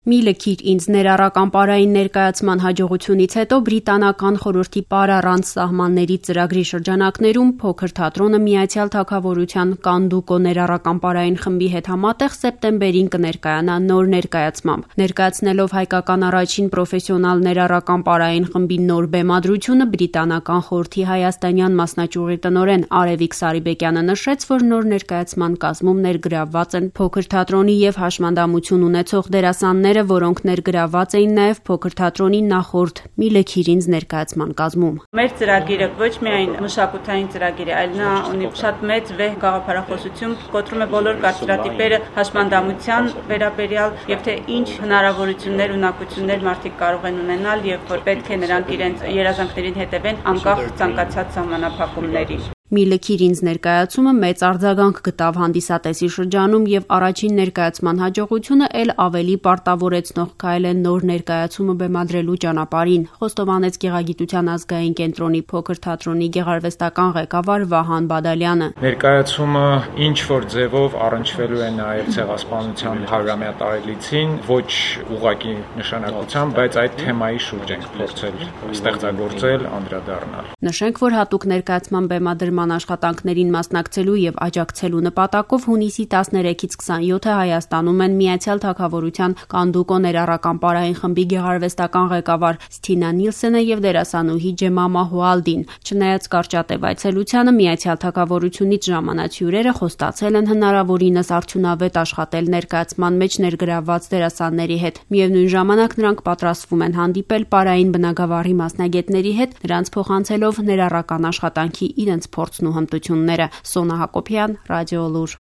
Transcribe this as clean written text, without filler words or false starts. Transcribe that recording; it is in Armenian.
Մի լքիր ինձ ներառական պարային ներկայացման հաջողությունից հետո բրիտանական խորհրդի պար առանց սահմանների ծրագրի շրջանակներում փոքր թատրոնը Միացյալ Թագավորության Կանդուկո ներառական պարային խմբի հետ համատեղ սեպտեմբերին կներկայանա նոր ներկայացմամբ։ Ներկայացնելով հայկական առաջին պրոֆեսիոնալ ներառական պարային խմբի նոր բեմադրությունը բրիտանական խորհրդի հայաստանյան մասնաճյուղի տնօրեն Արևիկ Սարիբեկյանը նշեց, որ նոր ներկայացման կազմում ներգրավված են փոքր թատրոնի եւ հաշմանդամություն ունեցող դերասաններ, որոնք ներգրավված էին նաև փոքր թատրոնի նախորդ «Մի լքիր ինձ» ներկայացման կազմում։ Մեր ծրագիրը ոչ միայն մշակութային ծրագիր է, այլ նա ունի շատ մեծ վեհ գաղափարախոսություն, կոտրում է բոլոր կարծրատիպերը հաշմանդամության վերաբերյալ եւ թե ինչ հնարավորություններ, ունակություններ մարդիկ կարող են ունենալ եւ որ պետք է նրանք իրենց երազանքներին հետևեն անկախ ցանկացած սահմանափակումների։ «Մի լքիր ինձ» ներկայացումը մեծ արձագանք գտավ հանդիսատեսի շրջանում եւ առաջին ներկայացման հաջողությունը էլ ավելի պարտավորեցնող քայլ է նոր ներկայացումը բեմադրելու ճանապարհին, խոստովանեց Գեղագիտության ազգային կենտրոնի փոքր թատրոնի գեղարվեստական ղեկավար Վահան Բադալյանը։ Ներկայացումը ինչ որ ձևով առնչվելու է նաեւ ցեղասպանության 100-ամյա տարելիցին, ոչ ուղղակի նշանակությամբ, բայց այդ թեմայի շուրջ ենք փորձել ստեղծագործել, անդրադառնալ։ Նշենք, որ հատուկ ներկայացման բեմադրման աշխատանքներին մասնակցելու եւ աջակցելու նպատակով հունիսի 13-ից 27-ը Հայաստանում են Միացյալ Թագավորության Կանդուկո ներառական պարային խմբի գեղարվեստական ղեկավար Սթինա Նիլսենը եւ դերասանուհի Ջեմամա Հուալդին։ Չնայած կարճատև այցելությանը Միացյալ Թագավորությունից ժամանած հյուրերը խոստացել են հնարավորինս արդյունավետ աշխատել ներկայացման մեջ ներգրավված դերասանների հետ։ Միևնույն ժամանակ նրանք պատրաստվում են հանդիպել պարային բնագավառի մասնագետների հետ, նրանց փոխանցելով ներառական աշխատանքի իրենց փորձն ու հմտությունները։ Սոնա Հակոբյան, Ռադիոլուր։